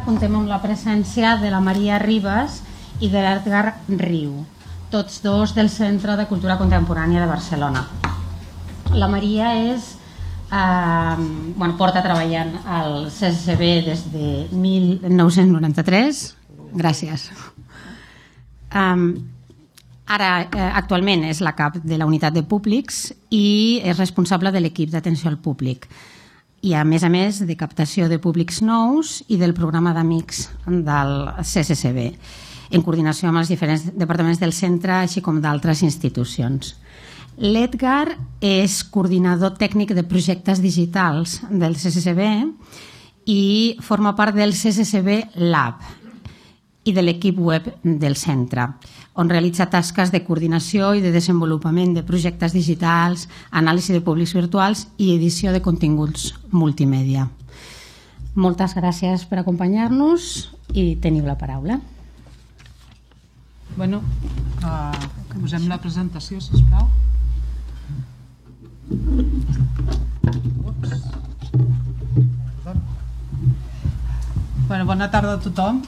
comptem amb la presència de la Maria Ribas i de l'Edgar Riu, tots dos del Centre de Cultura Contemporània de Barcelona. La Maria porta treballant al CCCB des de 1993. Gràcies. Ara, actualment, és la cap de la unitat de públics i és responsable de l'equip d'atenció al públic. I, a més, de captació de públics nous i del programa d'amics del CCCB, en coordinació amb els diferents departaments del centre, així com d'altres institucions. L'Edgar és coordinador tècnic de projectes digitals del CCCB i forma part del CCCB Lab i de l'equip web del centre, on realitza tasques de coordinació i de desenvolupament de projectes digitals, anàlisi de públics virtuals i edició de continguts multimèdia. Moltes gràcies per acompanyar-nos i teniu la paraula. Posem la presentació, sisplau. Bona tarda a tothom.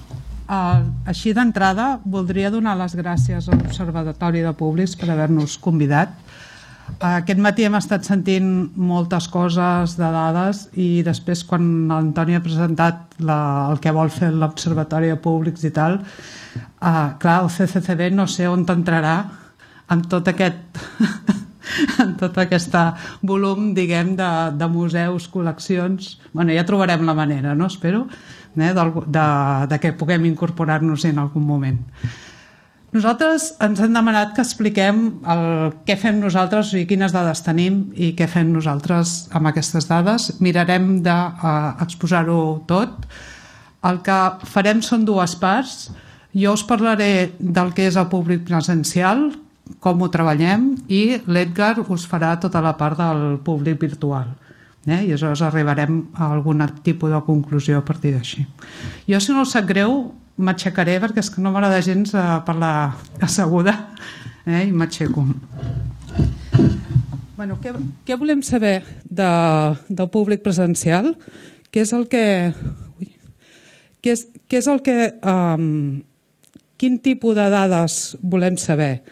Així d'entrada voldria donar les gràcies a l'Observatori de Públics per haver-nos convidat. Aquest matí hem estat sentint moltes coses de dades i després quan l'Antoni ha presentat el que vol fer l'Observatori de Públics i tal, clar, el CCCB no sé on entrarà amb tot aquest en tot aquest volum, diguem, de museus, col·leccions. Ja trobarem la manera, no? Espero, de que puguem incorporar-nos en algun moment. Nosaltres ens hem demanat que expliquem què fem nosaltres, o sigui, quines dades tenim i què fem nosaltres amb aquestes dades. Mirarem d'exposar-ho tot. El que farem són dues parts. Jo us parlaré del que és el públic presencial, com ho treballem, i l'Edgar us farà tota la part del públic virtual. I aleshores arribarem a algun tipus de conclusió a partir d'així. Jo, si no us sap greu, m'aixecaré perquè és que no m'agrada gens parlar asseguda i m'aixeco. Què volem saber del públic presencial? Quin tipus de dades volem saber?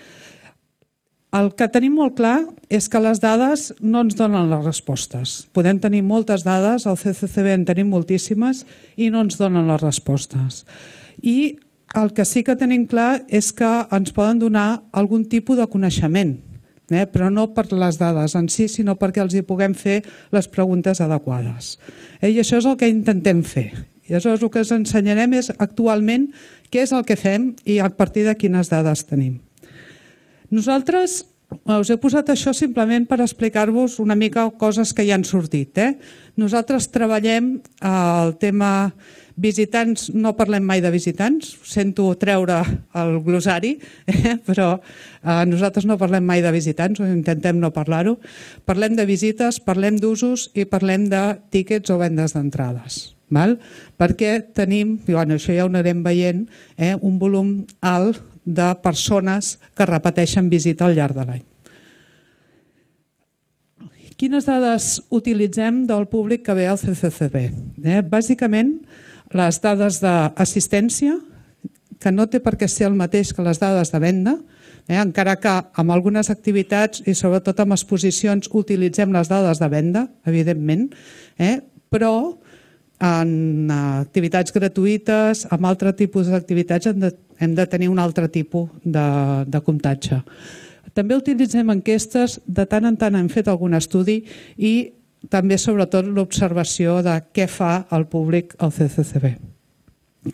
El que tenim molt clar és que les dades no ens donen les respostes. Podem tenir moltes dades, al CCCB en tenim moltíssimes i no ens donen les respostes. I el que sí que tenim clar és que ens poden donar algun tipus de coneixement, però no per les dades en si, sinó perquè els hi puguem fer les preguntes adequades. I això és el que intentem fer. I aleshores el que us ensenyarem és actualment què és el que fem i a partir de quines dades tenim. Nosaltres us he posat això simplement per explicar-vos una mica coses que ja han sortit. Nosaltres treballem el tema visitants, no parlem mai de visitants, sento treure el glossari, però nosaltres no parlem mai de visitants, o intentem no parlar-ho. Parlem de visites, parlem d'usos i parlem de tíquets o vendes d'entrades. Perquè tenim, això ja ho anirem veient, un volum alt de persones que repeteixen visita al llarg de l'any. Quines dades utilitzem del públic que ve al CCCB? Bàsicament, les dades d'assistència, que no té per què ser el mateix que les dades de venda, encara que amb algunes activitats i sobretot amb exposicions utilitzem les dades de venda, evidentment, però en activitats gratuïtes, amb altre tipus d'activitats hem de tenir un altre tipus de comptatge. També utilitzem enquestes, de tant en tant hem fet algun estudi i també sobretot l'observació de què fa el públic al CCCB.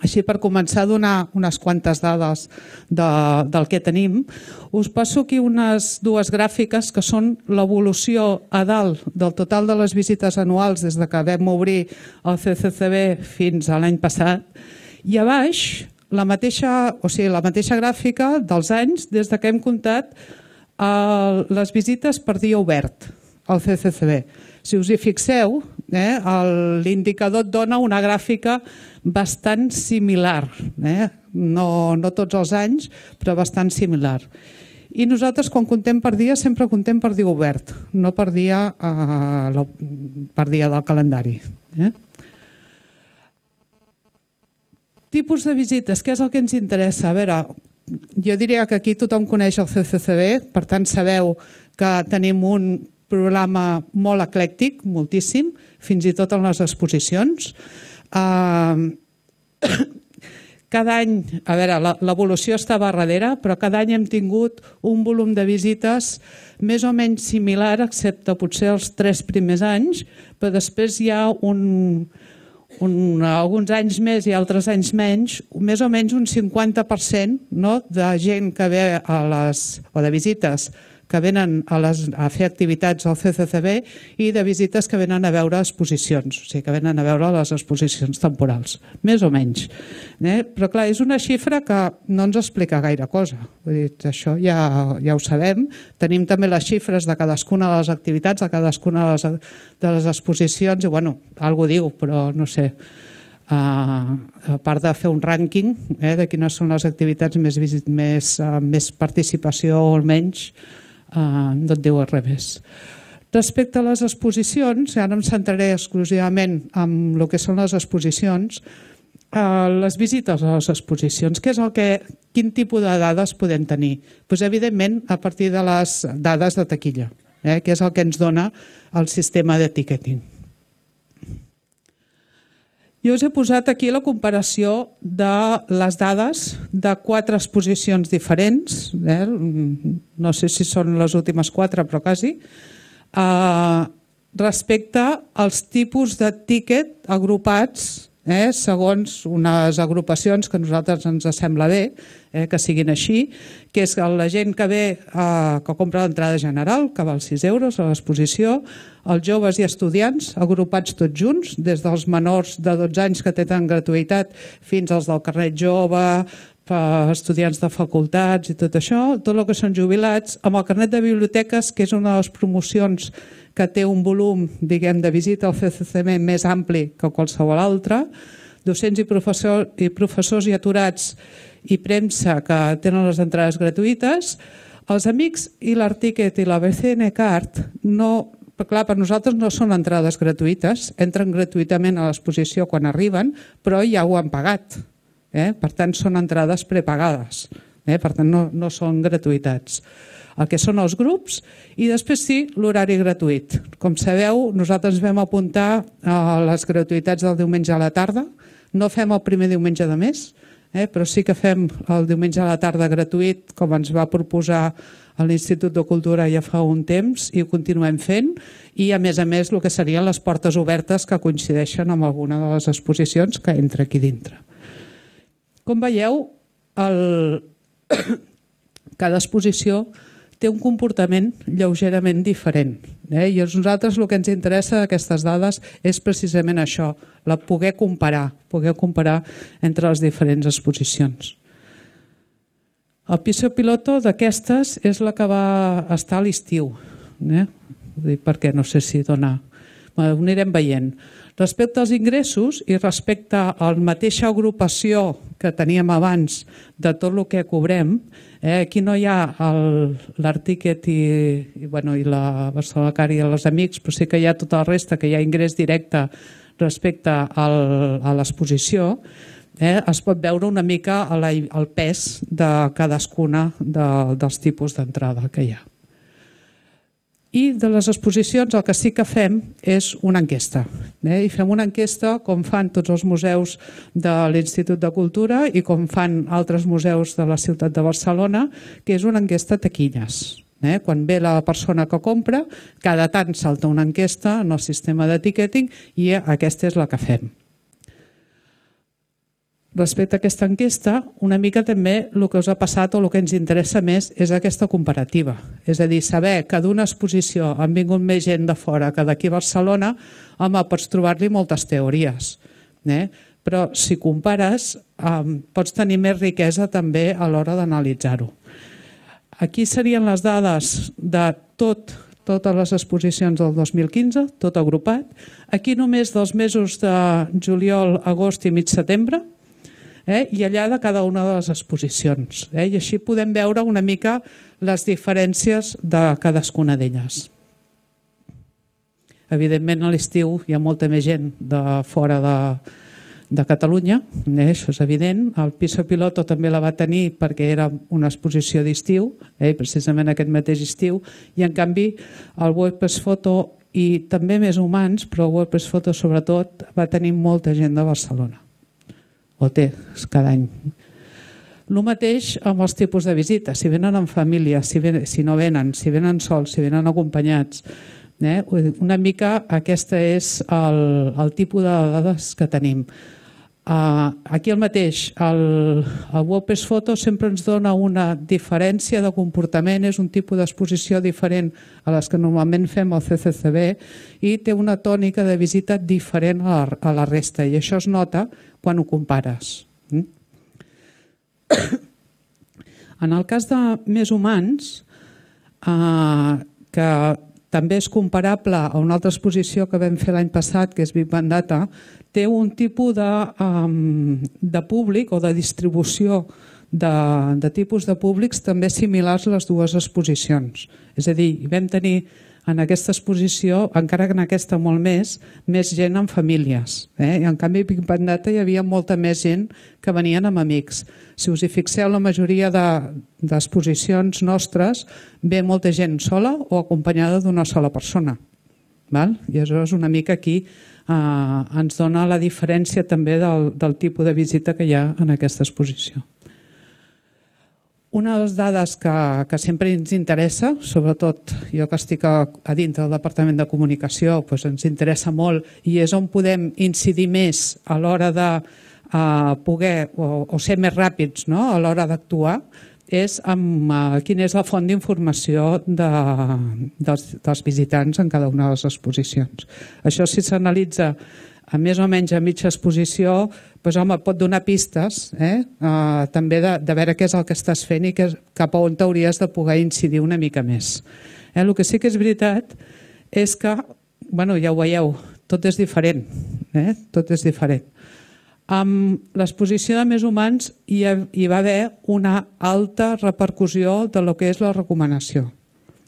Així, per començar a donar unes quantes dades del que tenim, us passo aquí unes dues gràfiques que són l'evolució a dalt del total de les visites anuals des que vam obrir el CCCB fins a l'any passat, i a baix la mateixa gràfica dels anys des que hem comptat les visites per dia obert al CCCB. Si us hi fixeu, l'indicador et dona una gràfica bastant similar, no tots els anys, però bastant similar. I nosaltres, quan comptem per dia, sempre comptem per dia obert, no per dia del calendari. Tipus de visites, què és el que ens interessa? A veure, jo diria que aquí tothom coneix el CCCB, per tant sabeu que tenim un programa molt eclèctic, moltíssim, fins i tot en les exposicions. Cada any, a veure, l'evolució estava darrere, però cada any hem tingut un volum de visites més o menys similar, excepte potser els 3 primers anys, però després hi ha alguns anys més i altres anys menys, més o menys un 50% de gent que ve o de visites que venen a fer activitats al CCCB i de visites que venen a veure exposicions, o sigui, que venen a veure les exposicions temporals, més o menys. Però clar, és una xifra que no ens explica gaire cosa. Vull dir, això ja ho sabem. Tenim també les xifres de cadascuna de les activitats, de cadascuna de les exposicions, i bueno, alguna cosa diu, però no sé. A part de fer un rànquing de quines són les activitats més participació o menys, no et diu res més. Respecte a les exposicions, ara em centraré exclusivament en el que són les exposicions, les visites a les exposicions, quin tipus de dades podem tenir? Doncs, evidentment, a partir de les dades de taquilla, que és el que ens dona el sistema de ticketing. Jo us he posat aquí la comparació de les dades de 4 exposicions diferents, no sé si són les últimes 4, però quasi, respecte als tipus de tíquet agrupats segons unes agrupacions que a nosaltres ens sembla bé que siguin així, que és la gent que ve, que compra l'entrada general, que val 6 euros a l'exposició, els joves i estudiants agrupats tots junts, des dels menors de 12 anys que tenen gratuïtat fins als del carnet jove, estudiants de facultats i tot això, tot el que són jubilats, amb el carnet de biblioteques, que és una de les promocions que té un volum, diguem, de visita al CCCB més ampli que qualsevol altre, docents i professors i aturats i premsa que tenen les entrades gratuïtes, els amics i l'Articket i la BCN Card, clar, per nosaltres no són entrades gratuïtes, entren gratuïtament a l'exposició quan arriben, però ja ho han pagat. Per tant, són entrades prepagades, per tant, no són gratuïtats. El que són els grups i després sí, l'horari gratuït. Com sabeu, nosaltres vam apuntar a les gratuïtats del diumenge a la tarda. No fem el primer diumenge de mes, però sí que fem el diumenge a la tarda gratuït, com ens va proposar l'Institut de Cultura ja fa un temps, i ho continuem fent, i a més, el que serien les portes obertes que coincideixen amb alguna de les exposicions que entra aquí dintre. Com veieu, cada exposició té un comportament lleugerament diferent. I a nosaltres el que ens interessa d'aquestes dades és precisament això, poder comparar entre les diferents exposicions. El piso piloto d'aquestes és la que va estar a l'estiu, perquè no sé si dona... Ho anirem veient. Respecte als ingressos i respecte a la mateixa agrupació que teníem abans de tot el que cobrem, aquí no hi ha l'Articket i la Barcelona Car i els amics, però sí que hi ha tota la resta, que hi ha ingrés directe respecte a l'exposició, es pot veure una mica el pes de cadascuna dels tipus d'entrada que hi ha. I de les exposicions el que sí que fem és una enquesta. I fem una enquesta com fan tots els museus de l'Institut de Cultura i com fan altres museus de la ciutat de Barcelona, que és una enquesta taquilles. Quan ve la persona que compra, cada tant salta una enquesta en el sistema de ticketing i aquesta és la que fem. Respecte a aquesta enquesta, una mica també el que us ha passat o el que ens interessa més és aquesta comparativa. És a dir, saber que d'una exposició han vingut més gent de fora que d'aquí a Barcelona, pots trobar-li moltes teories. Però si compares, pots tenir més riquesa també a l'hora d'analitzar-ho. Aquí serien les dades de totes les exposicions del 2015, tot agrupat. Aquí només dels mesos de juliol, agost i mig setembre, i allà de cada una de les exposicions. I així podem veure una mica les diferències de cadascuna d'elles. Evidentment, a l'estiu hi ha molta més gent de fora de Catalunya, això és evident. El Piso Piloto també la va tenir perquè era una exposició d'estiu, precisament aquest mateix estiu, i en canvi el WordPress Photo i també Més Humans, però el WordPress Photo sobretot va tenir molta gent de Barcelona, o té cada any. El mateix amb els tipus de visita, si venen en família, si no venen, si venen sols, si venen acompanyats. Una mica aquest és el tipus de dades que tenim. Aquí el mateix, el WordPress Photo sempre ens dona una diferència de comportament, és un tipus d'exposició diferent a les que normalment fem al CCCB i té una tònica de visita diferent a la resta i això es nota quan ho compares. En el cas de Més Humans, que també és comparable a una altra exposició que vam fer l'any passat, que és Big Bang Data, té un tipus de públic o de distribució de tipus de públics també similars a les dues exposicions. És a dir, vam tenir en aquesta exposició, encara que en aquesta molt més gent amb famílies. I en canvi a Big Bang Data hi havia molta més gent que venien amb amics. Si us hi fixeu, la majoria d'exposicions nostres ve molta gent sola o acompanyada d'una sola persona. I aleshores una mica aquí ens dona la diferència també del tipus de visita que hi ha en aquesta exposició. Una de les dades que sempre ens interessa, sobretot jo que estic a dintre del Departament de Comunicació, ens interessa molt i és on podem incidir més a l'hora de poder o ser més ràpids a l'hora d'actuar, és quina és la font d'informació dels visitants en cada una de les exposicions. Això si s'analitza a més o menys a mitja exposició, pot donar pistes també de veure què és el que estàs fent i cap a on t'hauries de poder incidir una mica més. El que sí que és veritat és que, ja ho veieu, tot és diferent. Tot és diferent. Amb l'exposició de Més Humans hi va haver una alta repercussió de lo que és la recomanació.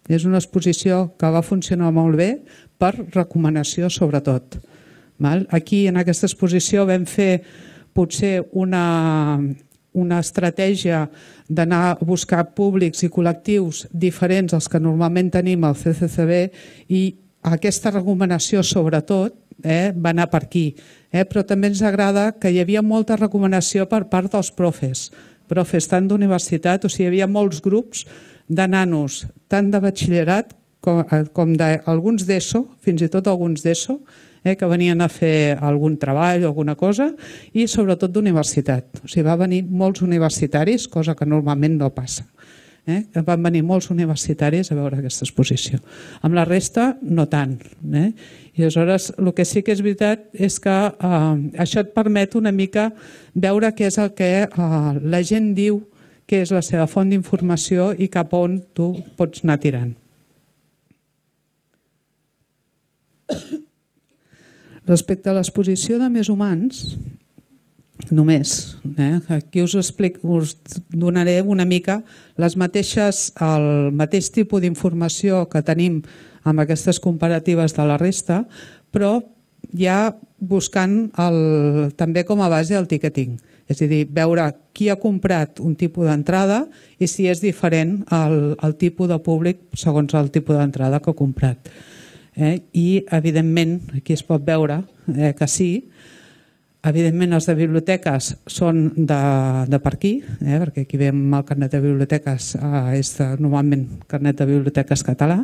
És una exposició que va funcionar molt bé per recomanació sobretot. Aquí en aquesta exposició vam fer potser una estratègia d'anar a buscar públics i col·lectius diferents als que normalment tenim al CCCB i aquesta recomanació sobretot va anar per aquí. Però també ens agrada que hi havia molta recomanació per part dels profes tant d'universitat, o sigui, hi havia molts grups de nanos, tant de batxillerat com d'alguns d'ESO, fins i tot alguns d'ESO, que venien a fer algun treball o alguna cosa, i sobretot d'universitat. O sigui, va venir molts universitaris, cosa que normalment no passa. Van venir molts universitaris a veure aquesta exposició. Amb la resta, no tant. I aleshores, el que sí que és veritat és que això et permet una mica veure què és el que la gent diu que és la seva font d'informació i cap a on tu pots anar tirant. Respecte a l'exposició de Més Humans, només, aquí us donaré una mica el mateix tipus d'informació que tenim amb aquestes comparatives de la resta, però ja buscant també com a base el ticketing. És a dir, veure qui ha comprat un tipus d'entrada i si és diferent el tipus de públic segons el tipus d'entrada que ha comprat. I, evidentment, aquí es pot veure que sí. Evidentment, els de biblioteques són de per aquí, perquè aquí veiem el carnet de biblioteques, és normalment carnet de biblioteques català,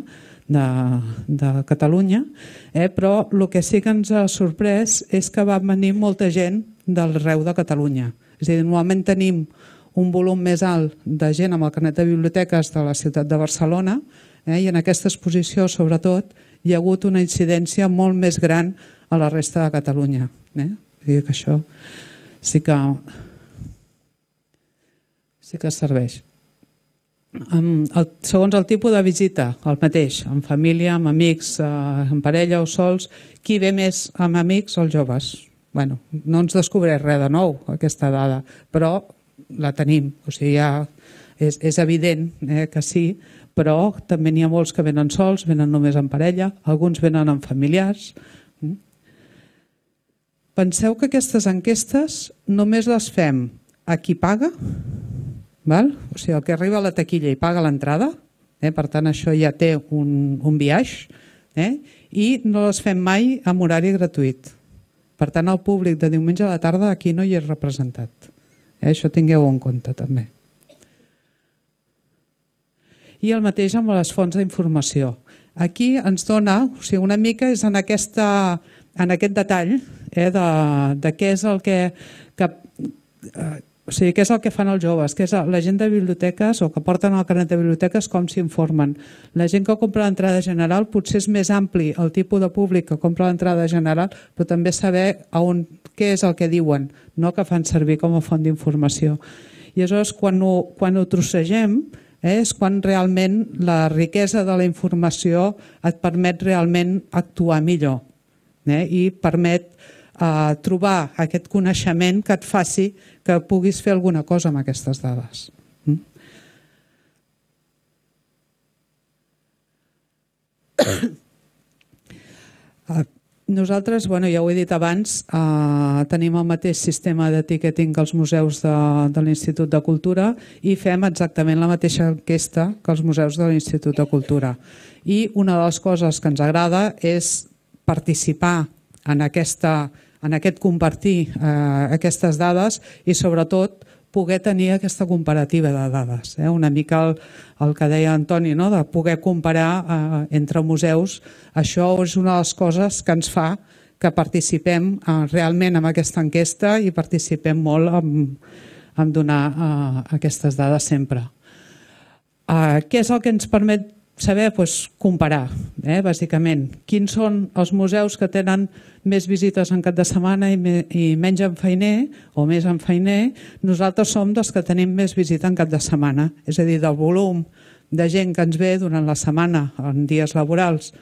de Catalunya, però el que sí que ens ha sorprès és que va venir molta gent d'arreu de Catalunya. És a dir, normalment tenim un volum més alt de gent amb el carnet de biblioteques de la ciutat de Barcelona i en aquesta exposició, sobretot, hi ha hagut una incidència molt més gran a la resta de Catalunya. Que això sí que serveix. Segons el tipus de visita, el mateix, amb família, amb amics, amb parella o sols, qui ve més amb amics o els joves? No ens descobreix res de nou, aquesta dada, però la tenim. O sigui, és evident que sí, però també n'hi ha molts que venen sols, venen només en parella, alguns venen amb familiars. Penseu que aquestes enquestes només les fem a qui paga, val? O sigui, el que arriba a la taquilla i paga l'entrada, per tant això ja té un biaix, i no les fem mai amb horari gratuït. Per tant, el públic de diumenge a la tarda aquí no hi és representat. Això tingueu en compte també. I el mateix amb les fonts d'informació. Aquí ens dona, o sigui, una mica és en aquest detall de què és el què és el que fan els joves, que és la gent de biblioteques o que porten el carnet de biblioteques, com s'informen. La gent que compra l'entrada general potser és més ampli el tipus de públic que compra l'entrada general, però també saber què és el que diuen, no que fan servir com a font d'informació. I aleshores, quan ho trossegem, és quan realment la riquesa de la informació et permet realment actuar millor i permet trobar aquest coneixement que et faci que puguis fer alguna cosa amb aquestes dades. Nosaltres, ja ho he dit abans, tenim el mateix sistema d'etiqueting que els museus de l'Institut de Cultura i fem exactament la mateixa enquesta que els museus de l'Institut de Cultura. I una de les coses que ens agrada és participar en aquest compartir aquestes dades i sobretot poder tenir aquesta comparativa de dades. Una mica el que deia Antoni, de poder comparar entre museus. Això és una de les coses que ens fa que participem realment en aquesta enquesta i participem molt en donar aquestes dades sempre. Què és el que ens permet saber? Comparar, bàsicament. Quins són els museus que tenen més visites en cap de setmana i menys en feiner o més en feiner? Nosaltres som dels que tenim més visita en cap de setmana. És a dir, del volum de gent que ens ve durant la setmana en dies laborables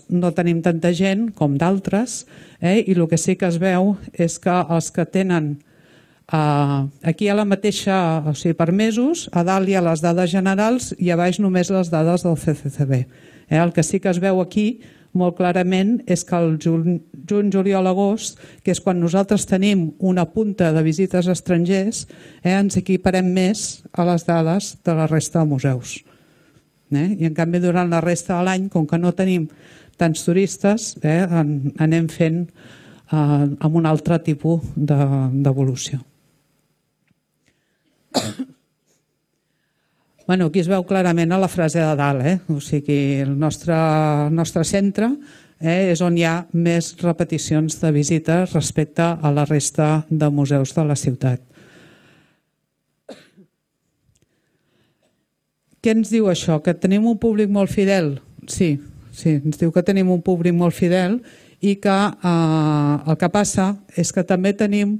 no tenim tanta gent com d'altres, i el que sí que es veu és que els que tenen aquí hi ha la mateixa, o sigui, per mesos, a dalt hi ha les dades generals i a baix només les dades del CCCB. El que sí que es veu aquí molt clarament és que el juny, juliol, agost, que és quan nosaltres tenim una punta de visites estrangers, ens equiparem més a les dades de la resta de museus. I en canvi durant la resta de l'any, com que no tenim tants turistes, anem fent amb un altre tipus d'evolució. Aquí es veu clarament a la frase de dalt, o sigui, el nostre centre és on hi ha més repeticions de visites respecte a la resta de museus de la ciutat. Què ens diu això? Que tenim un públic molt fidel? Sí, ens diu que tenim un públic molt fidel i que el que passa és que també tenim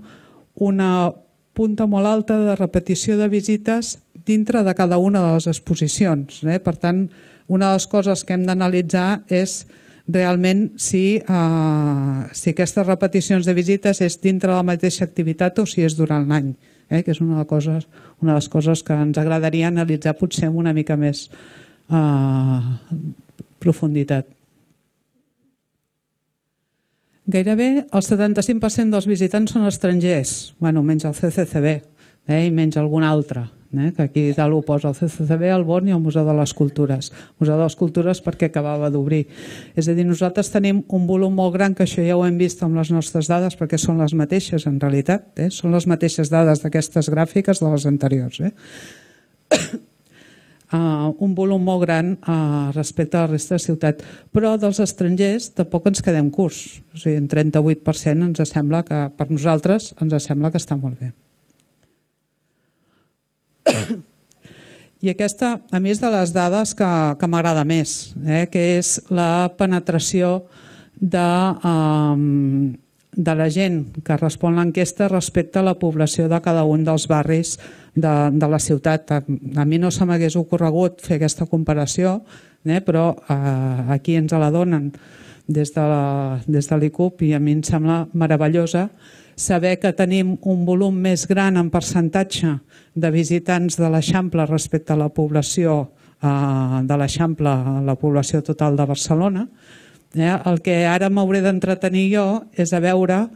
una punta molt alta de repetició de visites dintre de cada una de les exposicions. Per tant, una de les coses que hem d'analitzar és realment si aquestes repeticions de visites és dintre de la mateixa activitat o si és durant l'any, que és una de les coses que ens agradaria analitzar potser amb una mica més profunditat. Gairebé el 75% dels visitants són estrangers, menys el CCCB i menys algun altre, que aquí dalt ho posa el CCCB, el BON i el Museu de les Cultures. El Museu de les Cultures perquè acabava d'obrir. És a dir, nosaltres tenim un volum molt gran, que això ja ho hem vist amb les nostres dades, perquè són les mateixes en realitat, són les mateixes dades d'aquestes gràfiques de les anteriors. Un volum molt gran respecte a la resta de ciutat, però dels estrangers tampoc ens quedem curts, o sigui, en 38% ens sembla que per nosaltres ens sembla que està molt bé. I aquesta, a mi, és de les dades que m'agrada més, que és la penetració de la gent que respon l'enquesta respecte a la població de cada un dels barris de la ciutat. A mi no se m'hagués ocorregut fer aquesta comparació, però aquí ens la donen des de l'ICUP i a mi em sembla meravellosa saber que tenim un volum més gran en percentatge de visitants de l'Eixample respecte a la població de l'Eixample, a la població total de Barcelona, El que ara m'hauré d'entretenir jo és a veure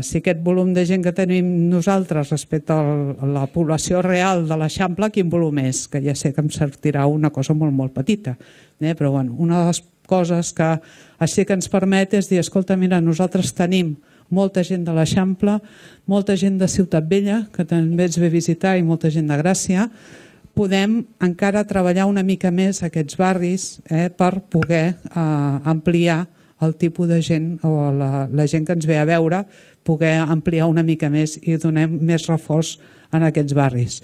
si aquest volum de gent que tenim nosaltres respecte a la població real de l'Eixample, quin volum és, que ja sé que em sortirà una cosa molt, molt petita. Però bueno, una de les coses que així que ens permet és dir, escolta, mira, nosaltres tenim molta gent de l'Eixample, molta gent de Ciutat Vella, que també ens ve a visitar, i molta gent de Gràcia. Podem encara treballar una mica més aquests barris per poder ampliar el tipus de gent o la gent que ens ve a veure, poder ampliar una mica més i donar més reforç en aquests barris.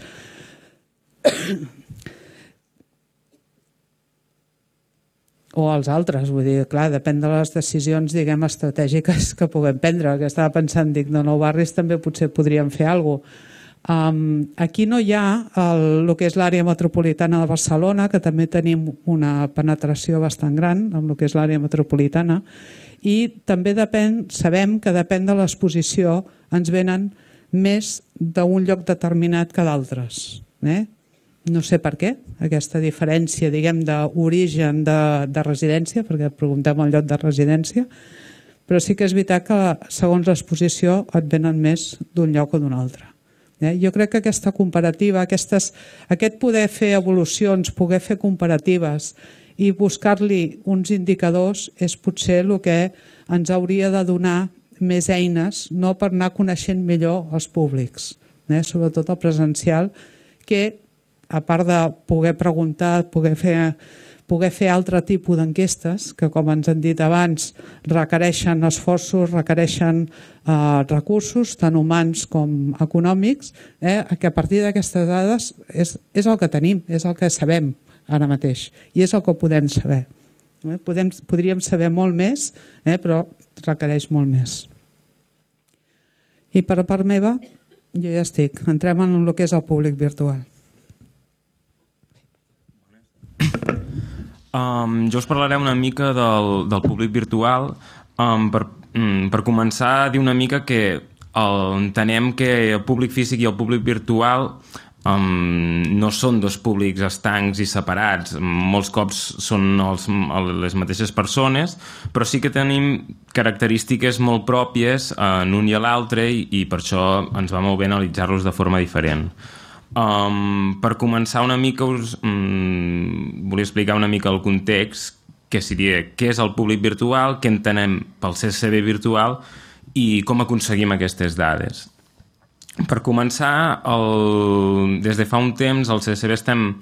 O els altres, vull dir, clar, depèn de les decisions, diguem, estratègiques que puguem prendre, que estava pensant, dic, de nou barris també potser podríem fer alguna cosa. Aquí no hi ha el que és l'àrea metropolitana de Barcelona, que també tenim una penetració bastant gran amb el que és l'àrea metropolitana, i també sabem que depèn de l'exposició ens venen més d'un lloc determinat que d'altres. No sé per què, aquesta diferència, diguem, d'origen de residència, perquè preguntem el lloc de residència, però sí que és veritat que segons l'exposició et venen més d'un lloc o d'un altre. Jo crec que aquesta comparativa, aquest poder fer evolucions, poder fer comparatives i buscar-li uns indicadors és potser el que ens hauria de donar més eines, no per anar coneixent millor els públics, sobretot el presencial, que a part de poder preguntar, poder fer altre tipus d'enquestes, que com ens han dit abans requereixen esforços, requereixen recursos, tant humans com econòmics, que a partir d'aquestes dades és el que tenim, és el que sabem ara mateix i és el que podem saber. Podríem saber molt més, però requereix molt més. I per part meva, jo ja estic. Entrem en el que és el públic virtual. Jo us parlaré una mica del públic virtual per començar a dir una mica que entenem que el públic físic i el públic virtual no són dos públics estancs i separats, molts cops són les mateixes persones, però sí que tenim característiques molt pròpies en un i a l'altre i per això ens va molt bé analitzar-los de forma diferent. Per començar una mica volia explicar una mica el context, que seria què és el públic virtual, què entenem pel CCB virtual i com aconseguim aquestes dades. Per començar, des de fa un temps al CCB estem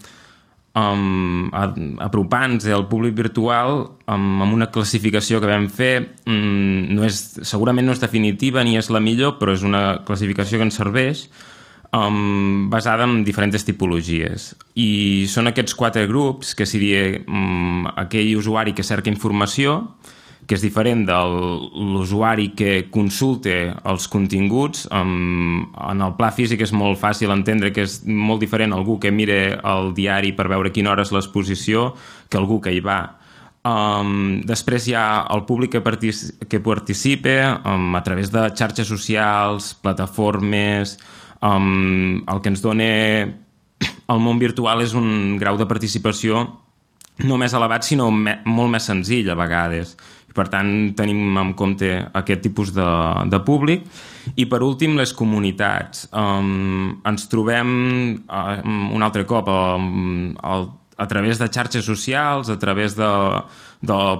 apropant-nos al públic virtual amb una classificació que vam fer, segurament no és definitiva ni és la millor, però és una classificació que ens serveix, basada en diferents tipologies. I són aquests 4 grups, que seria aquell usuari que cerca informació, que és diferent de l'usuari que consulta els continguts. En el pla físic és molt fàcil entendre que és molt diferent algú que mira el diari per veure quina hora és l'exposició que algú que hi va. Després hi ha el públic que participa a través de xarxes socials, plataformes. El que ens dona el món virtual és un grau de participació no més elevat, sinó molt més senzill a vegades. Per tant, tenim en compte aquest tipus de públic. I per últim, les comunitats. Ens trobem un altre cop a través de xarxes socials, a través de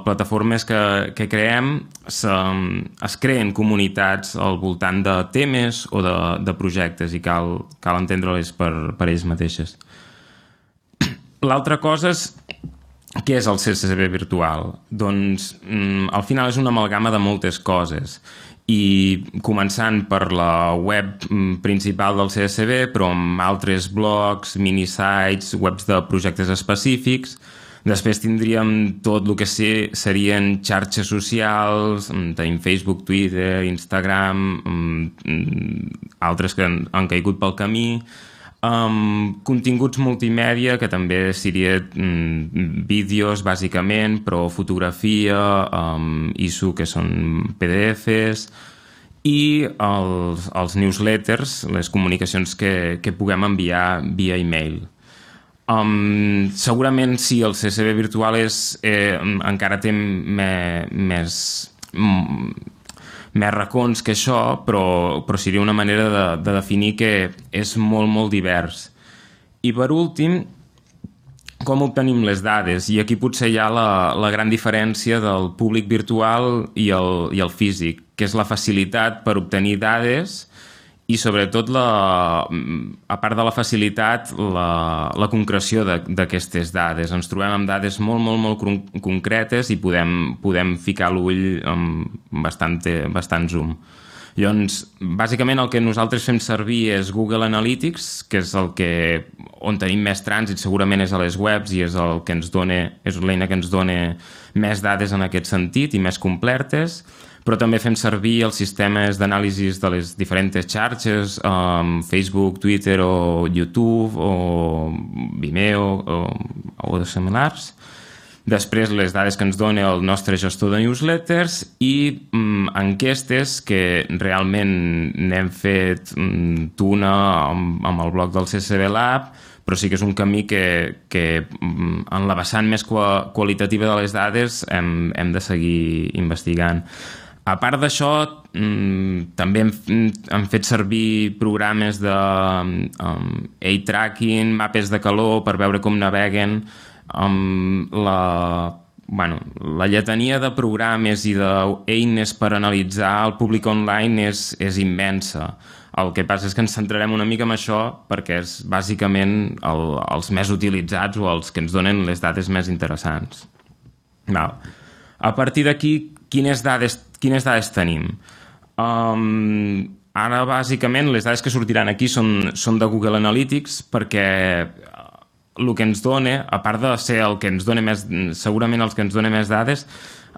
plataformes que creem, es creen comunitats al voltant de temes o de projectes i cal entendre-les per ells mateixes. L'altra cosa és què és el CCB virtual? Doncs al final és una amalgama de moltes coses i començant per la web principal del CSB, però amb altres blogs, minisites, webs de projectes específics. Després tindríem tot el que serien xarxes socials, tenim Facebook, Twitter, Instagram, altres que han caigut pel camí, continguts multimèdia, que també seria vídeos, bàsicament, però fotografia, ISO, que són PDFs, i els newsletters, les comunicacions que puguem enviar via e-mail. Segurament sí, el CSV virtual encara té més racons que això, però seria una manera de definir que és molt, molt divers. I per últim, com obtenim les dades? I aquí potser hi ha la gran diferència del públic virtual i el físic, que és la facilitat per obtenir dades i sobretot, a part de la facilitat, la concreció d'aquestes dades. Ens trobem amb dades molt, molt, molt concretes i podem ficar l'ull amb bastant zoom. Llavors, bàsicament el que nosaltres fem servir és Google Analytics, que és on tenim més trànsit, segurament és a les webs i és l'eina que ens dona més dades en aquest sentit i més completes, però també fem servir els sistemes d'anàlisi de les diferents xarxes, Facebook, Twitter o YouTube o Vimeo o de similars. Després, les dades que ens dona el nostre gestor de newsletters i enquestes que realment n'hem fet una amb el blog del CSV Lab, però sí que és un camí que en la vessant més qualitativa de les dades hem de seguir investigant. A part d'això, també hem fet servir programes de eye tracking, mapes de calor per veure com naveguen. La lletania de programes i d'eines per analitzar el públic online és immensa. El que passa és que ens centrarem una mica en això perquè és bàsicament els més utilitzats o els que ens donen les dades més interessants. A partir d'aquí, quines dades tenim? Ara, bàsicament, les dades que sortiran aquí són de Google Analytics perquè el que ens dona, a part de ser el que ens dona segurament els que ens dona més dades,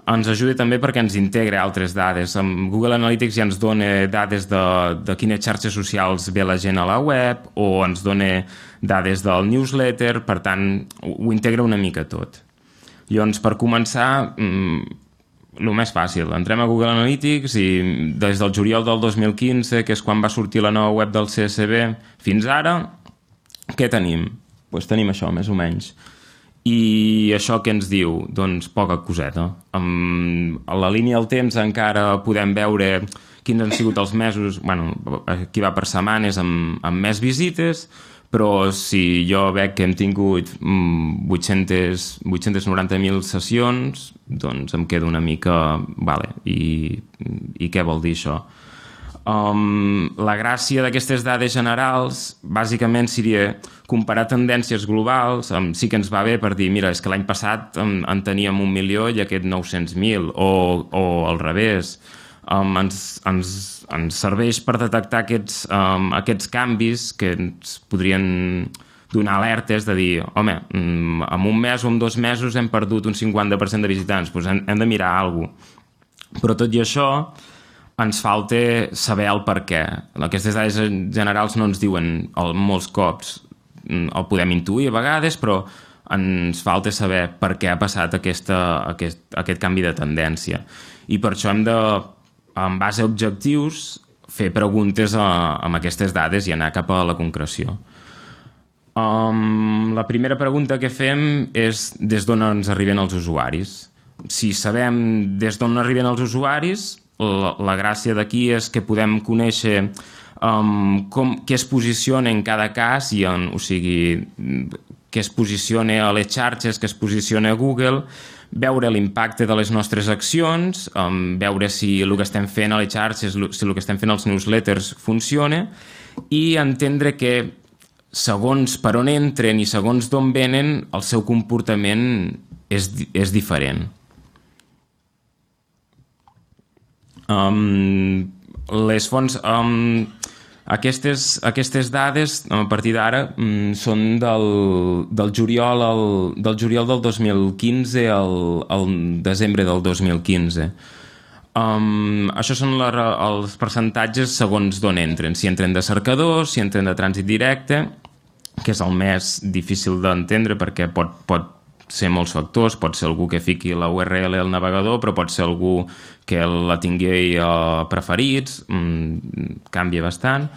ens ajuda també perquè ens integra altres dades. Google Analytics ja ens dona dades de quines xarxes socials ve la gent a la web o ens dona dades del newsletter, per tant, ho integra una mica tot. Llavors, per començar, el més fàcil, entrem a Google Analytics i des del juliol del 2015, que és quan va sortir la nova web del CSV, fins ara, què tenim? Doncs tenim això, més o menys. I això què ens diu? Doncs poca coseta. A la línia del temps encara podem veure quins han sigut els mesos, aquí va per setmanes amb més visites, però si jo veig que hem tingut 890.000 sessions, doncs em quedo una mica... I què vol dir això? La gràcia d'aquestes dades generals bàsicament seria comparar tendències globals. Sí que ens va bé per dir, mira, és que l'any passat en teníem 1 milió i aquest 900.000, o al revés. Ens serveix per detectar aquests canvis que ens podrien donar alertes de dir, home, en un mes o en 2 mesos hem perdut un 50% de visitants, doncs hem de mirar alguna cosa. Però tot i això ens falta saber el per què. Aquestes dades generals no ens diuen molts cops, el podem intuir a vegades, però ens falta saber per què ha passat aquest canvi de tendència. I per això hem de, en base a objectius, fer preguntes amb aquestes dades i anar cap a la concreció. La primera pregunta que fem és des d'on ens arriben els usuaris. Si sabem des d'on arriben els usuaris, la gràcia d'aquí és que podem conèixer què es posiciona en cada cas, o sigui, què es posiciona a les xarxes, què es posiciona a Google, veure l'impacte de les nostres accions, veure si el que estem fent a les xarxes, si el que estem fent als newsletters funciona, i entendre que segons per on entren i segons d'on venen, el seu comportament és diferent. Les fonts, aquestes dades a partir d'ara són del juliol del 2015 al desembre del 2015. Això són els percentatges segons d'on entren, si entren de cercadors, si entren de trànsit directe, que és el més difícil d'entendre perquè pot ser molts factors, pot ser algú que fiqui la URL al navegador, però pot ser algú que la tingui preferits, canvia bastant.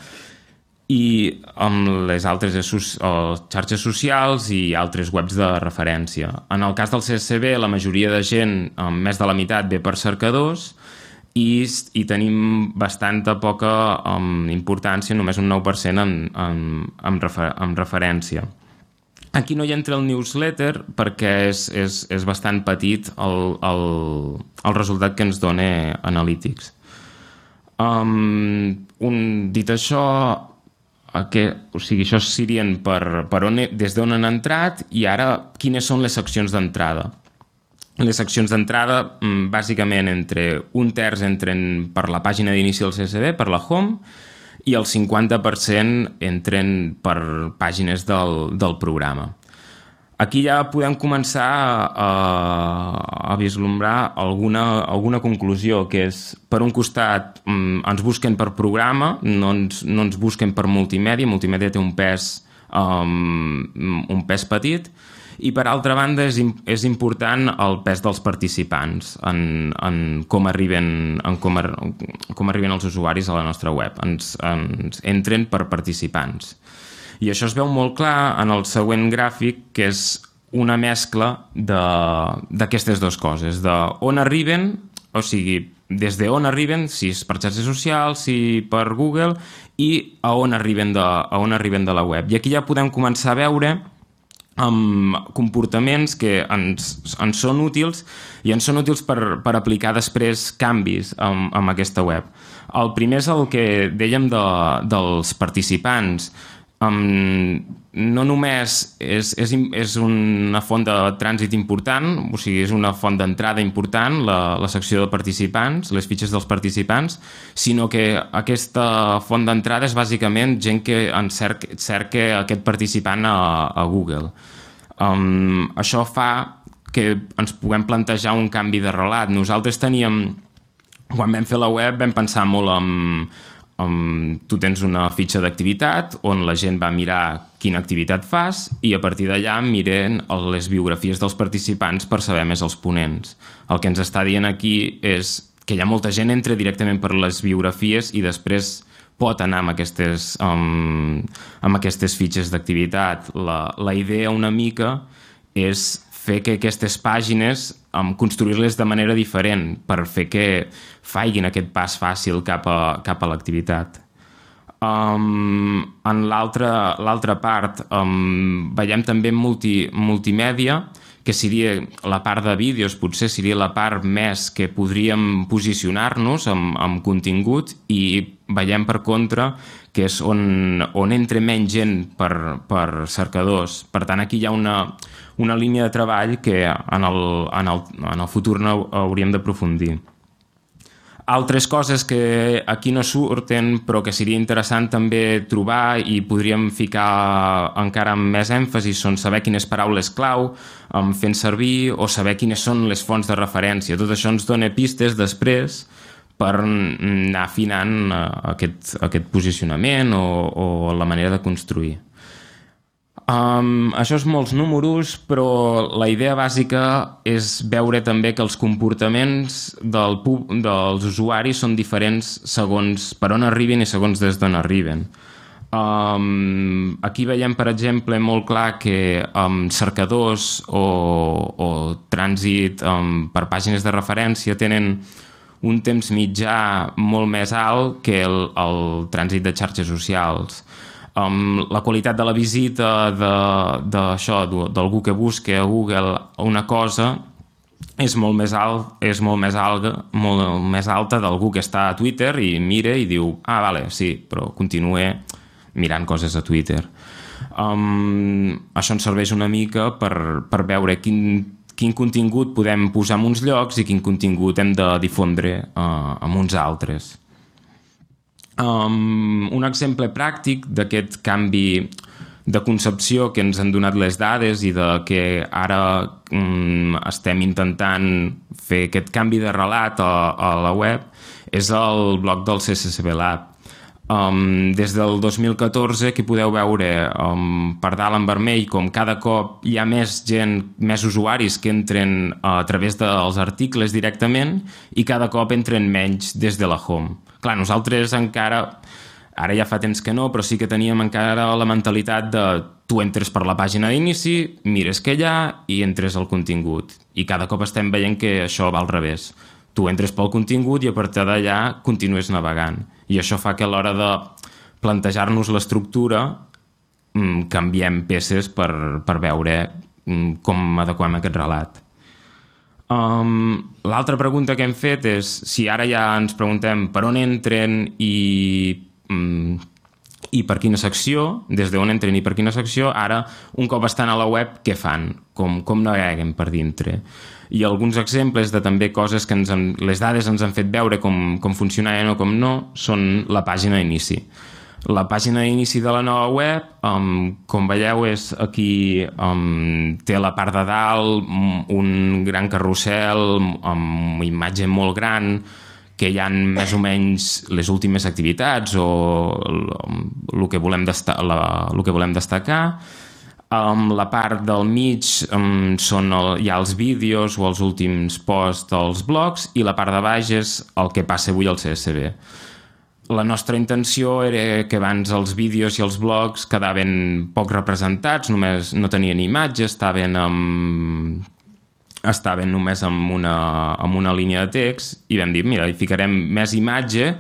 i amb les altres xarxes socials i altres webs de referència. En el cas del CSCB, la majoria de gent, més de la meitat, ve per cercadors i tenim bastanta poca importància, només un 9% en referència. Aquí no hi entra el newsletter perquè és bastant petit el resultat que ens dona Analytics. Dit això, això serien des d'on han entrat i ara quines són les seccions d'entrada. Les seccions d'entrada, bàsicament, un terç entren per la pàgina d'inici del CSCB, per la home, i el 50% entren per pàgines del programa. Aquí ja podem començar a vislumbrar alguna conclusió, que és, per un costat, ens busquen per programa, no ens busquen per multimèdia. Multimèdia té un pes petit, i per altra banda és important el pes dels participants en com arriben els usuaris a la nostra web. Ens entren per participants. I això es veu molt clar en el següent gràfic, que és una mescla d'aquestes dues coses, d'on arriben, o sigui, des d'on arriben, si és per xarxes socials, si per Google, i a on arriben de la web. I aquí ja podem començar a veure comportaments que ens són útils, i ens són útils per aplicar després canvis en aquesta web. El primer és el que dèiem dels participants. No només és una font de trànsit important, o sigui, és una font d'entrada important, la secció de participants, les fitxes dels participants, sinó que aquesta font d'entrada és bàsicament gent que cerca aquest participant a Google. Això fa que ens puguem plantejar un canvi de relat. Nosaltres quan vam fer la web, vam pensar molt tu tens una fitxa d'activitat on la gent va mirar quina activitat fas i a partir d'allà miren les biografies dels participants per saber més els ponents. El que ens està dient aquí és que hi ha molta gent que entra directament per les biografies i després pot anar amb aquestes fitxes d'activitat. La idea una mica és fer que aquestes pàgines, construir-les de manera diferent per fer que facin aquest pas fàcil cap a l'activitat. En l'altra part veiem també multimèdia, que seria la part de vídeos, potser seria la part més que podríem posicionar-nos amb contingut, i veiem per contra que és on entra menys gent per cercadors. Per tant, aquí hi ha una línia de treball que en el futur hauríem d'aprofundir. Altres coses que aquí no surten però que seria interessant també trobar i podríem ficar encara amb més èmfasi són saber quines paraules clau fent servir o saber quines són les fonts de referència. Tot això ens dona pistes després per anar afinant aquest posicionament o la manera de construir. Això és molts números, però la idea bàsica és veure també que els comportaments dels usuaris són diferents segons per on arriben i segons des d'on arriben. Aquí veiem, per exemple, molt clar que cercadors o trànsit per pàgines de referència tenen un temps mitjà molt més alt que el trànsit de xarxes socials. La qualitat de la visita d'algú que busca a Google una cosa és molt més alta d'algú que està a Twitter i mira i diu, vale, sí, però continua mirant coses a Twitter. Això ens serveix una mica per veure quin contingut podem posar en uns llocs i quin contingut hem de difondre en uns altres. Un exemple pràctic d'aquest canvi de concepció que ens han donat les dades i de que ara estem intentant fer aquest canvi de relat a la web és el blog del CSCB Lab. Des del 2014 aquí podeu veure per dalt en vermell com cada cop hi ha més gent, més usuaris que entren a través dels articles directament i cada cop entren menys des de la home. Clar, nosaltres encara Ara ja fa temps que no, però sí que teníem encara la mentalitat de tu entres per la pàgina d'inici, mires què hi ha i entres al contingut. I cada cop estem veient que això va al revés. Tu entres pel contingut i a partir d'allà continues navegant. I això fa que a l'hora de plantejar-nos l'estructura canviem peces per veure com adequem aquest relat. L'altra pregunta que hem fet és si ara ja ens preguntem per on entren i per quina secció, des d'on entren i per quina secció, ara un cop estan a la web què fan, com naveguen per dintre. I alguns exemples de també coses que les dades ens han fet veure com funcionaven o com no són la pàgina d'inici. La pàgina d'inici de la nova web, com veieu, és aquí, té la part de dalt un gran carrusel amb imatge molt gran, que hi ha més o menys les últimes activitats o el que volem destacar. La part del mig hi ha els vídeos o els últims posts dels blogs i la part de baix és el que passa avui al CSB. La nostra intenció era que abans els vídeos i els blogs quedaven poc representats, només no tenien imatge, estaven només amb una línia de text i vam dir, mira, hi ficarem més imatge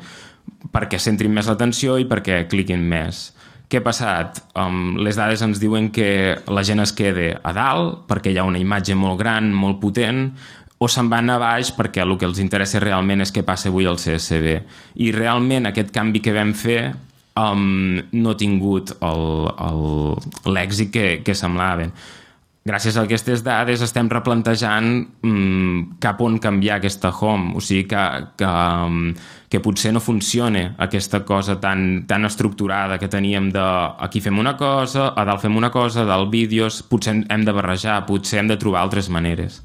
perquè centrin més l'atenció i perquè cliquin més. Què ha passat? Les dades ens diuen que la gent es queda a dalt perquè hi ha una imatge molt gran, molt potent, o se'n van a baix perquè el que els interessa realment és què passa avui al CSB. I realment aquest canvi que vam fer no ha tingut l'èxit que semblaven. Gràcies a aquestes dades estem replantejant cap on canviar aquesta home, o sigui que potser no funciona aquesta cosa tan estructurada que teníem de aquí fem una cosa, a dalt fem una cosa, a dalt vídeos, potser hem de barrejar, potser hem de trobar altres maneres.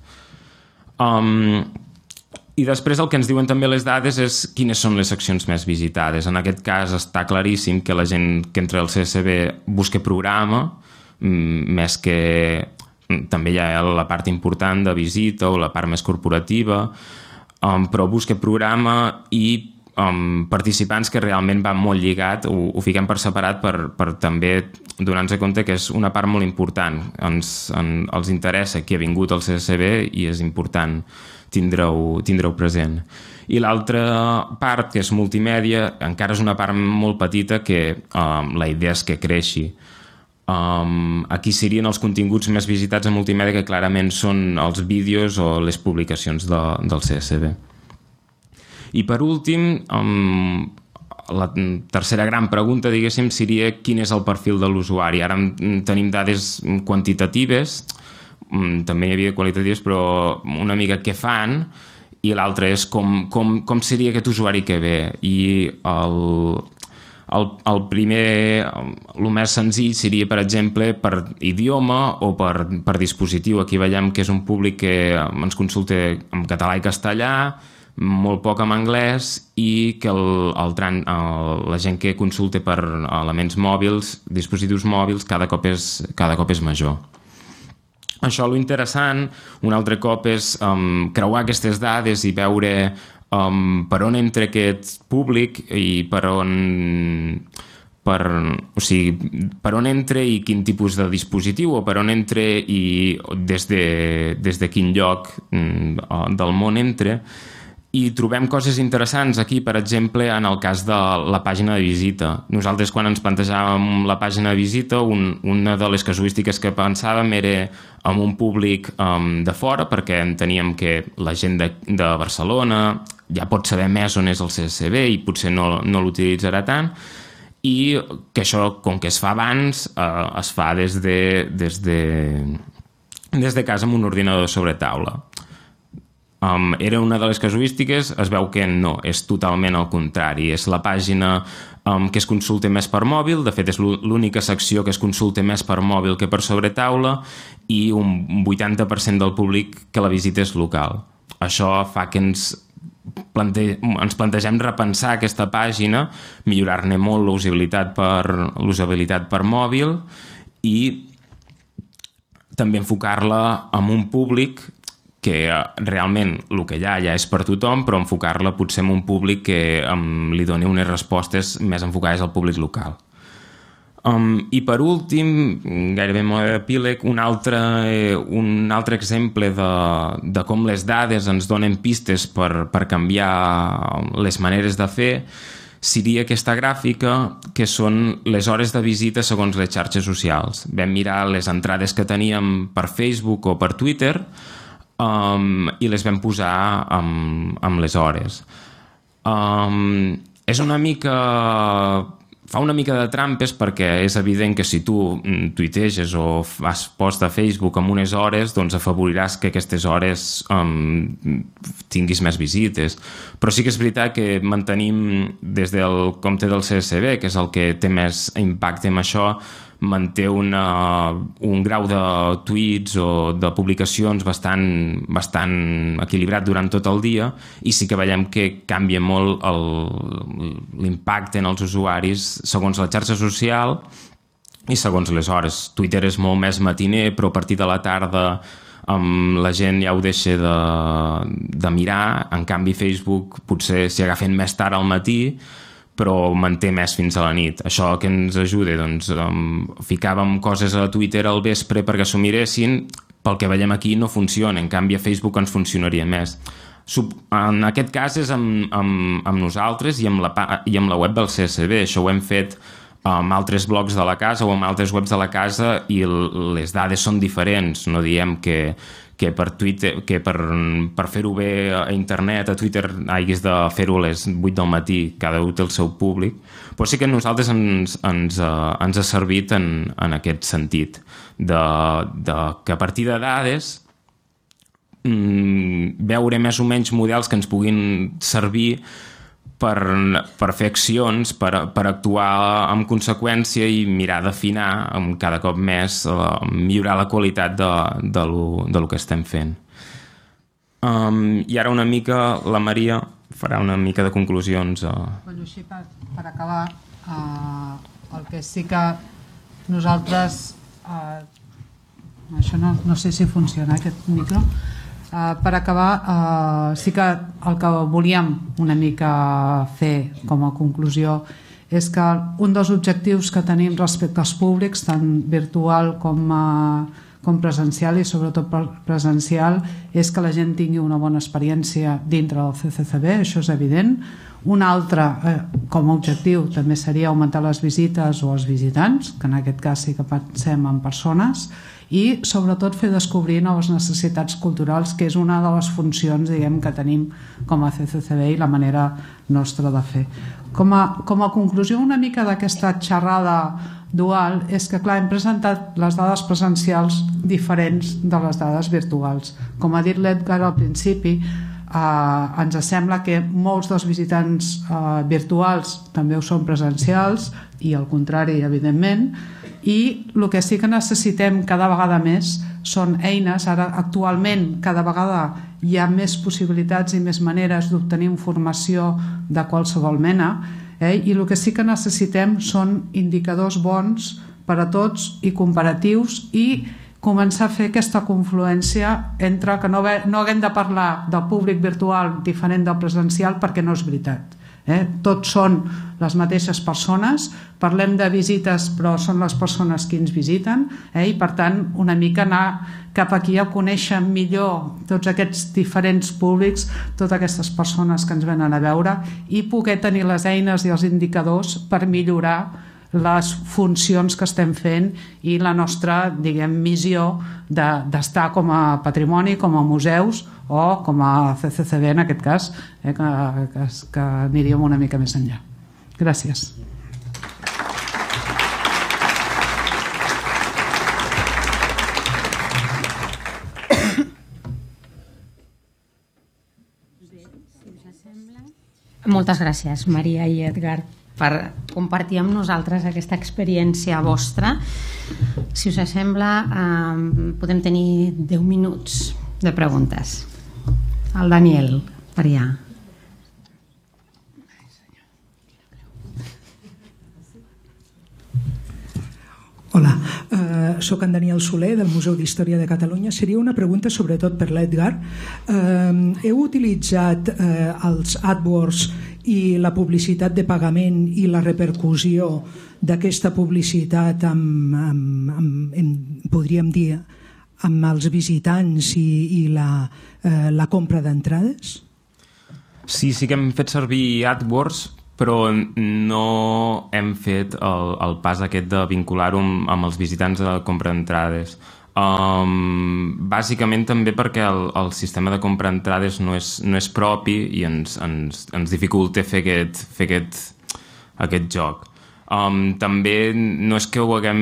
I després el que ens diuen també les dades és quines són les seccions més visitades. En aquest cas està claríssim que la gent que entra al CSB busca programa, més que també hi ha la part important de visita o la part més corporativa, però busca programa i participants que realment van molt lligat, ho fiquem per separat per també donar-nos compte que és una part molt important. Els interessa qui ha vingut al CSB i és important tindre-ho present. I l'altra part, que és multimèdia, encara és una part molt petita que la idea és que creixi. Aquí serien els continguts més visitats en multimèdia, que clarament són els vídeos o les publicacions del CSB. I per últim, la tercera gran pregunta, diguéssim, seria quin és el perfil de l'usuari. Ara tenim dades quantitatives, també hi havia qualitatives, però una mica què fan, i l'altra és com seria aquest usuari que ve. I el primer, el més senzill seria, per exemple, per idioma o per dispositiu. Aquí veiem que és un públic que ens consulta en català i castellà, molt poc en anglès, i que la gent que consulta per elements mòbils, dispositius mòbils, cada cop és major. Això, lo interessant, un altre cop, és creuar aquestes dades i veure per on entra aquest públic i per on entra i quin tipus de dispositiu, o per on entra i des de quin lloc del món entra. I trobem coses interessants aquí, per exemple, en el cas de la pàgina de visita. Nosaltres, quan ens plantejàvem la pàgina de visita, una de les casuístiques que pensàvem era amb un públic de fora, perquè enteníem que la gent de Barcelona ja pot saber més on és el CSB i potser no l'utilitzarà tant, i que això, com que es fa abans, es fa des de casa amb un ordinador sobre taula. Era una de les casuístiques, es veu que no, és totalment al contrari. És la pàgina que es consulta més per mòbil, de fet és l'única secció que es consulta més per mòbil que per sobre taula, i un 80% del públic que la visita és local. Això fa que ens plantegem repensar aquesta pàgina, millorar-ne molt l'usabilitat per mòbil i també enfocar-la amb un públic que realment el que hi ha ja és per tothom, però enfocar-la potser en un públic que li doni unes respostes més enfocades al públic local. I per últim, gairebé molt epíleg, un altre exemple de com les dades ens donen pistes per canviar les maneres de fer seria aquesta gràfica, que són les hores de visita segons les xarxes socials. Vam mirar les entrades que teníem per Facebook o per Twitter i les vam posar amb les hores. És una mica... Fa una mica de trampes perquè és evident que si tu tuiteges o fas post a Facebook amb unes hores, doncs afavoriràs que aquestes hores tinguis més visites. Però sí que és veritat que mantenim des del compte del CSB, que és el que té més impacte en això, manté un grau de tuits o de publicacions bastant equilibrat durant tot el dia, i sí que veiem que canvia molt l'impacte en els usuaris segons la xarxa social i segons les hores. Twitter és molt més matiner, però a partir de la tarda la gent ja ho deixa de mirar. En canvi Facebook potser s'hi agafen més tard al matí, però manté més fins a la nit. Això que ens ajuda, doncs ficàvem coses a Twitter al vespre perquè s'ho miressin, pel que veiem aquí no funciona, en canvi a Facebook ens funcionaria més. En aquest cas és amb nosaltres i amb la web del CSB. Això ho hem fet amb altres blogs de la casa o amb altres webs de la casa i les dades són diferents. No diem que per Twitter, que per fer-ho bé a internet, a Twitter, haguis de fer-ho a les 8 del matí, cada un té el seu públic, però sí que a nosaltres ens ha servit en aquest sentit, que a partir de dades veure més o menys models que ens puguin servir per fer accions, per actuar en conseqüència i mirar d'afinar cada cop més, millorar la qualitat de lo que estem fent. I ara una mica la Maria farà una mica de conclusions. Bueno, així per acabar, el que sí que nosaltres... Això no sé si funciona aquest micro. Per acabar, sí que el que volíem una mica fer com a conclusió és que un dels objectius que tenim respecte als públics, tant virtual com presencial, i sobretot presencial, és que la gent tingui una bona experiència dintre del CCCB, això és evident. Un altre, com a objectiu, també seria augmentar les visites o els visitants, que en aquest cas sí que pensem en persones, i sobretot fer descobrir noves necessitats culturals, que és una de les funcions, diguem, que tenim com a CCCB i la manera nostra de fer. Com a conclusió una mica d'aquesta xerrada dual és que, clar, hem presentat les dades presencials diferents de les dades virtuals. Com ha dit l'Edgar al principi, ens sembla que molts dels visitants virtuals també ho són presencials i al contrari, evidentment, i el que sí que necessitem cada vegada més són eines. Ara actualment cada vegada hi ha més possibilitats i més maneres d'obtenir informació de qualsevol mena, i el que sí que necessitem són indicadors bons per a tots i comparatius, i començar a fer aquesta confluència entre que no haguem de parlar del públic virtual diferent del presencial, perquè no és veritat. Tots són les mateixes persones, parlem de visites però són les persones que ens visiten, i per tant una mica anar cap aquí a conèixer millor tots aquests diferents públics, totes aquestes persones que ens venen a veure, i poder tenir les eines i els indicadors per millorar les funcions que estem fent i la nostra, diguem, missió d'estar com a patrimoni, com a museus o com a CCCB en aquest cas, que aniríem una mica més enllà. Gràcies. Moltes gràcies, Maria i Edgar, per compartir amb nosaltres aquesta experiència vostra. Si us sembla, podem tenir 10 minuts de preguntes. El Daniel, per allà. Hola, Soc en Daniel Soler, del Museu d'Història de Catalunya. Seria una pregunta sobretot per l'Edgar. Heu utilitzat els AdWords i la publicitat de pagament i la repercussió d'aquesta publicitat podríem dir, amb els visitants i la compra d'entrades? Sí que hem fet servir AdWords, però no hem fet el pas aquest de vincular-ho amb els visitants de la compra d'entrades. Bàsicament també perquè el sistema de compra d'entrades no és propi i ens dificulta fer aquest joc. També no és que ho haguem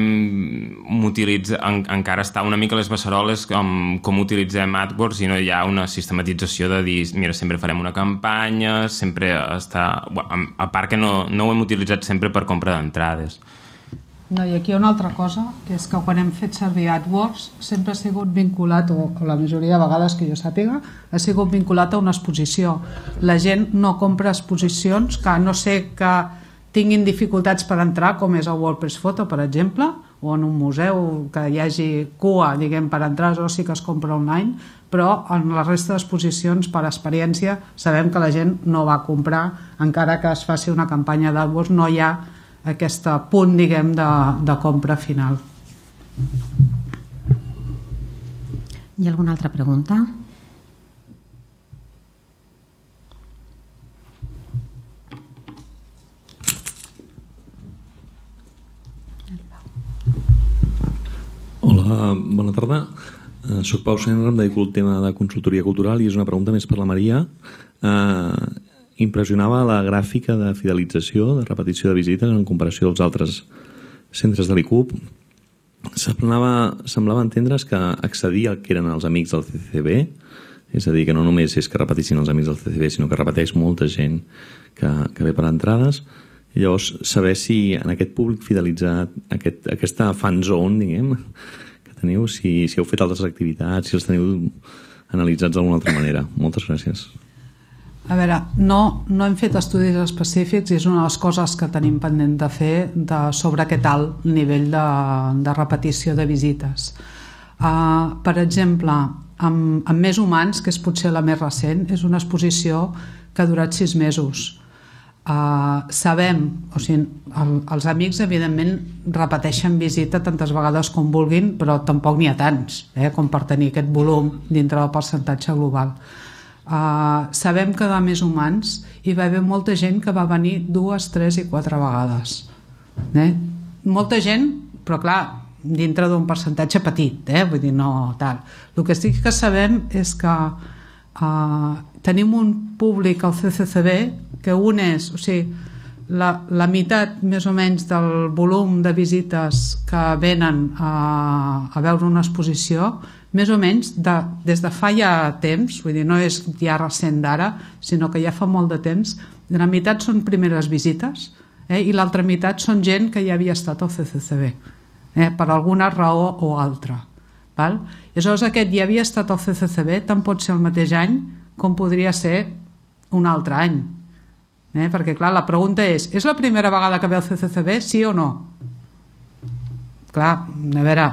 utilitzat, encara està una mica a les beceroles com utilitzem AdWords i no hi ha una sistematització de dir, mira, sempre farem una campanya, sempre està... A part que no ho hem utilitzat sempre per compra d'entrades. No, i aquí hi ha una altra cosa, que és que quan hem fet servir AdWords sempre ha sigut vinculat, o la majoria de vegades que jo sàpiga, ha sigut vinculat a una exposició. La gent no compra exposicions que a no ser que tinguin dificultats per entrar, com és el WordPress Photo, per exemple, o en un museu que hi hagi cua, diguem, per entrar, o sí que es compra online, però en la resta d'exposicions, per experiència, sabem que la gent no va comprar, encara que es faci una campanya d'AdWords, no hi ha aquest punt, diguem, de compra final. Hi ha alguna altra pregunta? Hola, bona tarda. Soc Pau Senra, em dedico al tema de consultoria cultural i és una pregunta més per la Maria. Impressionava la gràfica de fidelització, de repetició de visites en comparació als altres centres de l'ICUP. Semblava entendre's que accedir al que eren els amics del CCCB, és a dir, que no només és que repetissin els amics del CCCB, sinó que repeteix molta gent que ve per entrades. I llavors, saber si en aquest públic fidelitzat, aquesta fan zone, diguem, que teniu, si heu fet altres activitats, si els teniu analitzats d'alguna altra manera. Moltes gràcies. A veure, no hem fet estudis específics i és una de les coses que tenim pendent de fer sobre aquest alt nivell de repetició de visites. Per exemple, amb Més Humans, que és potser la més recent, és una exposició que ha durat 6 mesos. Sabem, o sigui, els amics evidentment repeteixen visita tantes vegades com vulguin, però tampoc n'hi ha tants com per tenir aquest volum dintre del percentatge global. Sabem que de Més Humans hi va haver molta gent que va venir 2, 3 i 4 vegades. Molta gent, però clar, dintre d'un percentatge petit, vull dir, no tal. El que sí que sabem és que tenim un públic al CCCB que un és, o sigui, la meitat més o menys del volum de visites que venen a veure una exposició, més o menys des de fa ja temps, vull dir, no és ja recent d'ara, sinó que ja fa molt de temps, la meitat són primeres visites i l'altra meitat són gent que ja havia estat al CCCB, per alguna raó o altra. Val? I aleshores aquest ja havia estat al CCCB, tant pot ser el mateix any com podria ser un altre any. Perquè clar, la pregunta és la primera vegada que ve al CCCB, sí o no? Clar, a veure,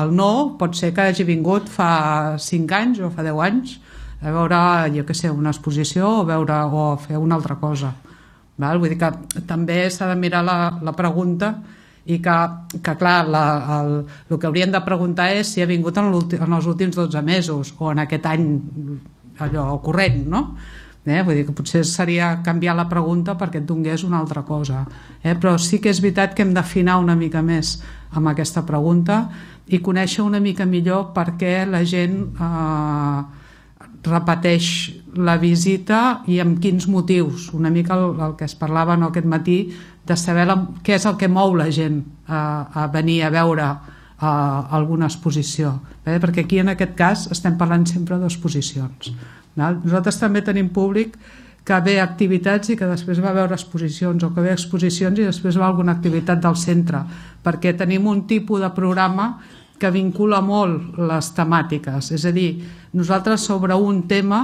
el no pot ser que hagi vingut fa 5 anys o fa 10 anys a veure, jo què sé, una exposició o fer una altra cosa. Val? Vull dir que també s'ha de mirar la pregunta i que clar, el que haurien de preguntar és si ha vingut en els últims 12 mesos o en aquest any allò corrent, no? Vull dir que potser seria canviar la pregunta perquè et donés una altra cosa. Però sí que és veritat que hem d'afinar una mica més amb aquesta pregunta i conèixer una mica millor per què la gent repeteix la visita i amb quins motius. Una mica el que es parlava aquest matí de saber què és el que mou la gent a venir a veure alguna exposició. Perquè aquí en aquest cas estem parlant sempre d'exposicions. Nosaltres també tenim públic que ve a activitats i que després va a veure exposicions o que ve a exposicions i després va a alguna activitat del centre, perquè tenim un tipus de programa que vincula molt les temàtiques. És a dir, nosaltres sobre un tema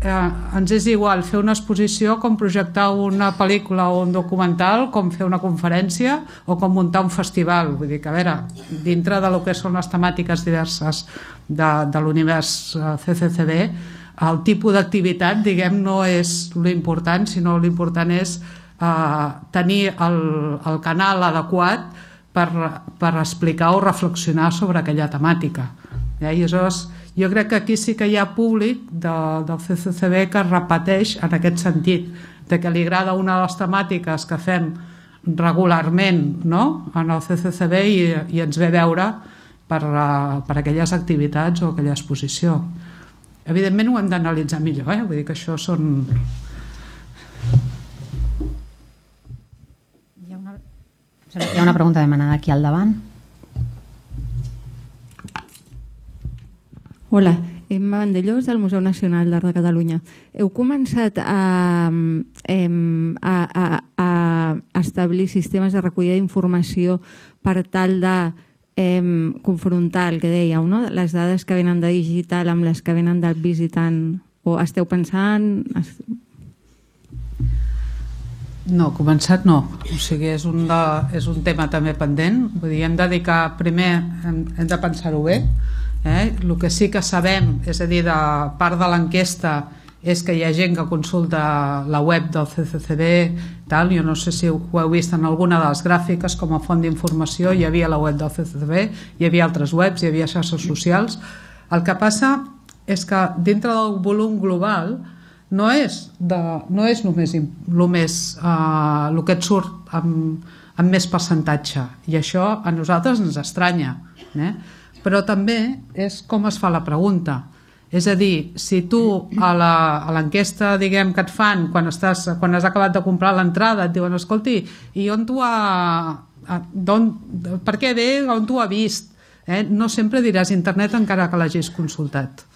ens és igual fer una exposició com projectar una pel·lícula o un documental, com fer una conferència o com muntar un festival. Vull dir que, a veure, dintre de lo que són les temàtiques diverses de l'univers CCCB, el tipus d'activitat, diguem, no és l'important, sinó l'important és tenir el canal adequat per explicar o reflexionar sobre aquella temàtica. I aleshores, jo crec que aquí sí que hi ha públic del CCCB que es repeteix en aquest sentit, de que li agrada una de les temàtiques que fem regularment, no?, en el CCCB i ens ve a veure per aquelles activitats o aquella exposició. Evidentment ho hem d'analitzar millor, vull dir que això són... Hi ha una pregunta demanada aquí al davant. Hola, Emma Vandellós del Museu Nacional d'Art de Catalunya. Heu començat a establir sistemes de recollida d'informació per tal de confrontar el que dèieu, no? Les dades que venen de digital amb les que venen del visitant, o esteu pensant... No, començat no. O sigui, és un tema també pendent. Vull dir, hem de dedicar... Primer hem de pensar-ho bé. El que sí que sabem, és a dir, de part de l'enquesta, és que hi ha gent que consulta la web del CCCB, tal. Jo no sé si ho heu vist en alguna de les gràfiques, com a font d'informació hi havia la web del CCCB, hi havia altres webs, hi havia xarxes socials. El que passa és que dintre del volum global no és només el que et surt amb més percentatge, i això a nosaltres ens estranya, però també és com es fa la pregunta. És a dir, si tu a l'enquesta, diguem, que et fan quan has acabat de comprar l'entrada et diuen, escolti, i on tu per què ve, on tu ha vist? No sempre diràs internet encara que l'hagis consultat,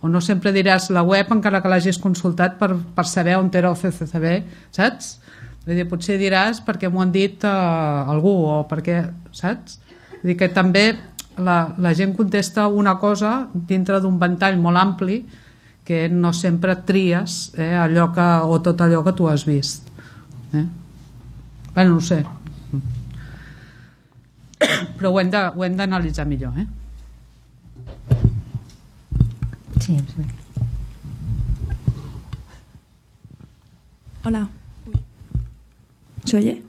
o no sempre diràs la web encara que l'hagis consultat per saber on era el CCCB, saps? Vull dir, potser diràs perquè m'ho han dit algú, o perquè, saps? Vull dir que també la gent contesta una cosa dintre d'un ventall molt ampli que no sempre tries o tot allò que tu has vist. Bé, no ho sé. Però ho hem d'analitzar millor, Sí, sí. Hola. ¿Se oye?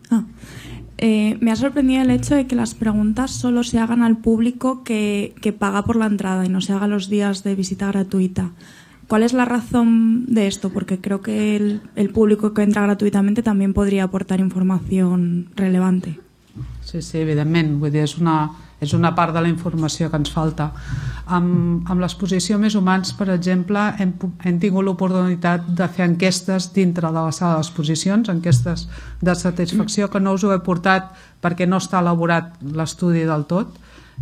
Me ha sorprendido el hecho de que las preguntas solo se hagan al público que paga por la entrada y no se haga los días de visita gratuita. ¿Cuál es la razón de esto? Porque creo que el público que entra gratuitamente también podría aportar información relevante. Sí, evidentment. Vull dir, és una part de la informació que ens falta. Amb l'exposició Més Humans, per exemple, hem tingut l'oportunitat de fer enquestes dintre de la sala d'exposicions, enquestes de satisfacció, que no us ho he portat perquè no està elaborat l'estudi del tot,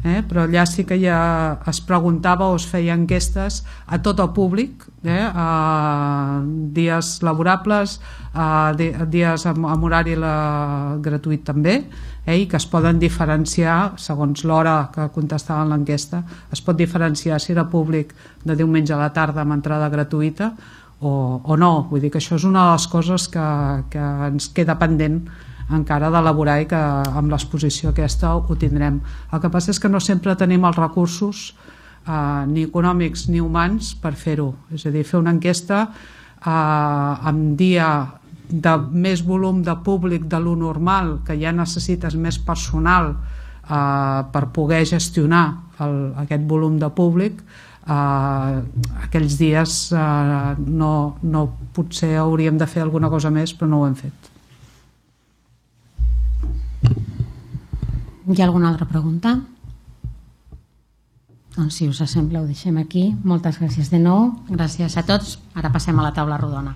però allà sí que ja es preguntava o es feia enquestes a tot el públic, a dies laborables, a dies amb horari gratuït també, i que es poden diferenciar segons l'hora que contestaven l'enquesta. Es pot diferenciar si era públic de diumenge a la tarda amb entrada gratuïta o no. Vull dir que això és una de les coses que ens queda pendent encara d'elaborar i que amb l'exposició aquesta ho tindrem. El que passa és que no sempre tenim els recursos ni econòmics ni humans per fer-ho. És a dir, fer una enquesta amb dia de més volum de públic de lo normal, que ja necessites més personal per poder gestionar aquest volum de públic, aquells dies no, potser hauríem de fer alguna cosa més, però no ho hem fet. Hi ha alguna altra pregunta? Doncs si us sembla ho deixem aquí. Moltes gràcies de nou. Gràcies a tots. Ara passem a la taula rodona.